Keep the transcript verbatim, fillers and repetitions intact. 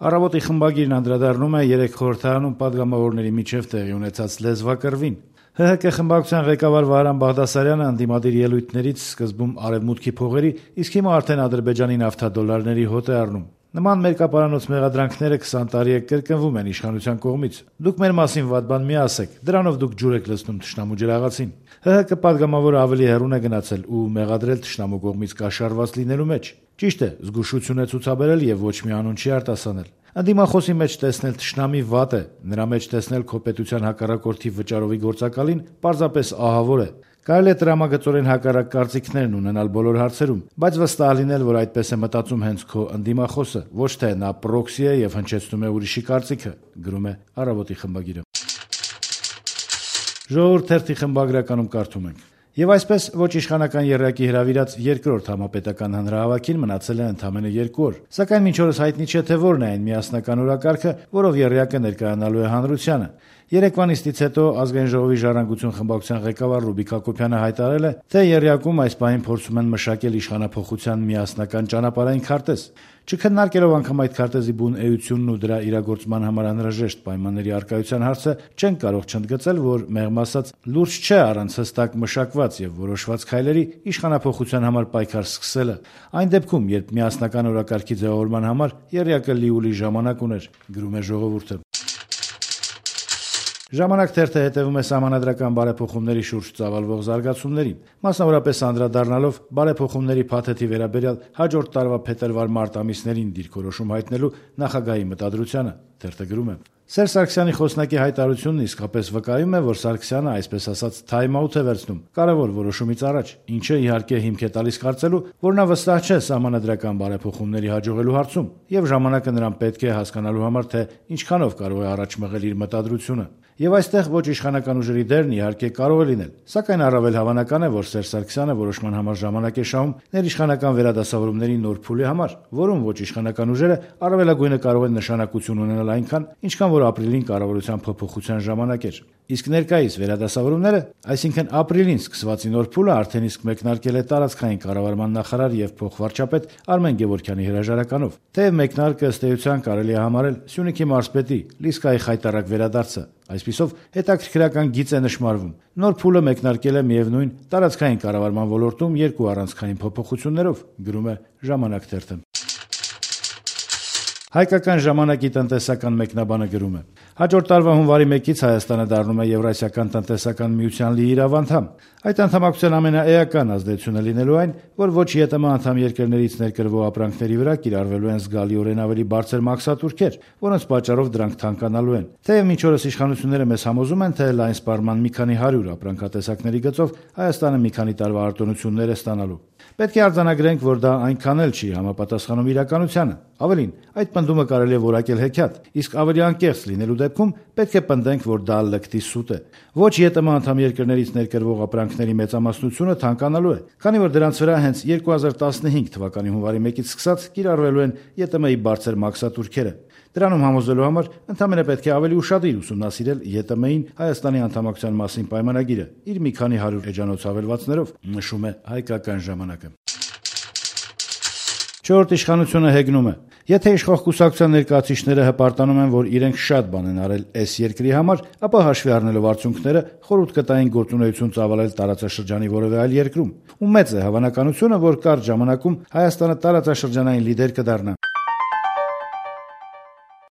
Առավոտի խմբագիրն անդրադառնում է երեք խորհրդարանում պատգամավորների միջև տեղի ունեցած լեզվակռվին։ Հ Հ K խմբակցության ղեկավար Վահրամ Բաղդասարյանը ընդդիմադիր ելույթներից սկզբում արևմուտքի փողերի, իսկ հիմա արդեն Ադրբեջանի նավթադոլարների հոտ է առնում։ Նման մերկապարանոց մեղադրանքները քսան տարի է կրկնվում են իշխանության կողմից։ Դուք մեր մասին վատ բան մի ասեք, դրանով դուք ջուր եք լցնում թշնամու ջրաղացին։ Հ Հ K պատգամավորը ավելի հեռուն է գնացել ու մեղադրել թշնամու կողմից կաշառված լինելու մեջ։ Ճիշտ է, զգուշություն է ցուցաբերել եւ ոչ մի անուն չի արտասանել։ Անդիմախոսի մեջ տեսնել թշնամի վատ է, նրա մեջ տեսնել քո պետության հակառակորդի վճարովի գործակալին պարզապես ահավոր է։ Կարելի է տրամագծորեն հակառակ կարծիքներն ունենալ բոլոր հարցերում, բայց վստահ լինել, որ այդպես է մտածում հենց քո անդիմախոսը, ոչ թե նա պրոքսի է եւ հնչեցնում է ուրիշի կարծիքը, գրում է Առավոտի խմբագիրը։ Ժողովուրդ թերթի խմբագրականում կարդում ենք. Եվ այսպես ոչ իշխանական եռյակի հրավիրած երկրորդ համապետական հանրահավաքին մնացել է ընդամենը երկու օր, սակայն մինչ օրս հայտնի չէ, թե որն է այն միասնական օրակարգը, որով եռյակը ներկայանալու է հանրությանը։ Երեկվա նիստից հետո Ազգային ժողովի ժառանգություն խմբակցության ղեկավար Ռուբիկ Հակոբյանը հայտարարել է, թե եռյակում այս պահին փորձում են մշակել իշխանափոխության միասնական ճանապարհային քարտեզ։ Չքննարկելով անգամ այդ քարտեզի բուն էությունն ու դրա իրագործման համար անհրաժեշտ պայմանների առկայության հարցը, չեն կարող չընդգծել, որ մեղմ ասած լուրջ չէ առանց հստակ մշակված եւ որոշված քայլերի իշխանափոխության համար պայքար սկսելը։ Այն դեպքում, երբ միասնական օրակարգի ձևավորման համար եռյակը լիուլի ժամանակ ուներ, գրում է Ժողովուրդը։ Ժամանակ թերթը հետևում է սահմանադրական բարեփոխումների շուրջ ծավալվող զարգացումներին, մասնավորապես անդրադառնալով բարեփոխումների փաթեթի վերաբերյալ հաջորդ տարվա փետրվար-մարտ ամիսներին դիրքորոշում հայտնելու նախագահի մտադրությանը։ Թերթը գրում է. Սերժ Սարգսյանի խոսնակի հայտարարությունն իսկապես վկայում է, որ Սարգսյանը այսպես ասած թայմ-աութ է վերցնում կարևոր որոշումից առաջ, ինչը իհարկե հիմք է տալիս կարծելու, որ նա վստահ չէ սահմանադրական բարեփոխումների հաջողելու հարցում, եւ ժամանակը նրան պետք է հասկանալու համար, թե ինչքանով կարող է առաջ մղել իր մտադրությունը։ Եվ այստեղ ոչ իշխանական ուժերի դերն իհարկե կարող է լինել, սակայն առավել հավանական է, որ Սերժ Սարգսյանը որոշման համար ժամանակ է շահում ներիշխանական վերադասավորումների նոր փուլի համար, որում ոչ իշխանական ուժերը առավելագույնը կարող են նշանակություն ունենալ այնքան, ինչքան որ ապրիլին կառավարության փոփոխության ժամանակ էր։ Իսկ ներկայիս վերադասավորումները, այսինքն ապրիլին սկսվածի նոր փուլը արդեն իսկ մեկնարկել է տարածքային կառավարման նախարար եւ փոխվարչապետ Արմեն Գևորգյանի հրաժարականով։ Թեև մեկնարկը ըստ էության կարելի է համարել Սյունիքի մարզպետի Լիսկայի խայտարակ վերադարձը, այսպիսով հետաքրքրական գիծ է նշмарվում։ Նոր փուլը մեկնարկել է միևնույն տարածքային կառավարման ոլորտում երկու առանցքային փոփոխություններով, գրում է Ժամանակ թերթը։ Հայկական ժամանակի տնտեսական մեկնաբանը գրում է. Հաջորդ տարվա հունվարի մեկից Հայաստանը դառնում է Եվրասիական տնտեսական միության լիիրավ անդամ։ Այդ անդամակցության ամենաէական ազդեցությունը լինելու այն, որ ոչ ԵՏՄ անդամ երկրներից ներկրվող ապրանքների վրա կիրառվելու են զգալիորեն ավելի բարձր մաքսատուրքեր, որոնց պատճառով դրանք թանկանալու են։ Թեև մինչ օրս իշխանությունները մեզ համոզում են, թե լայն սպառման մի քանի հարյուր ապրանքատեսակների գծով Հայաստանը մի քանի տարվա արտոնություններ է ստանալու։ Պետք է արձանագրենք, որ դա այնքան էլ չի համապատասխանում իրականությանը։ Ավելին, այդ պնդումը կարելի է որակել հեքիաթ, իսկ ավելի անկեղծ լինելու դեպքում պետք է պնդենք, որ դա լկտի սուտ է։ Ոչ ԵՏՄ անդամ երկրներից ներկրվող ապրանքների մեծամասնությունը թանկանալու է, քանի որ դրանց վրա հենց երկու հազար տասնհինգ թվականի հունվարի մեկից սկսած կիրառվելու են ԵՏՄ-ի բարձր մաքսատուրքերը։ Դրանում համոզելու համար ընդհանրապես պետք է ավելի ուշադիր ուսումնասիրել ԵՏՄ-ին Հայաստանի անդամակցության մասին պայմանագիրը իր մի քանի հարյուր էջանոց հավելվածներով, նշում է Հայկական ժամանակը։ Չորրորդ իշխանությունը հեգնում է. Եթե իշխող կուսակցության ներկայացուցիչները հպարտանում են, որ իրենք շատ բան են արել այս երկրի համար, ապա հաշվի առնելով արդյունքները խորհուրդ կտային գործունեություն ծավալել տարածաշրջանի որևէ այլ երկրում, ու մեծ է հավանականությունը, որ կարճ ժամանակում Հայաստանը տարածաշրջանային լիդեր կդառնա։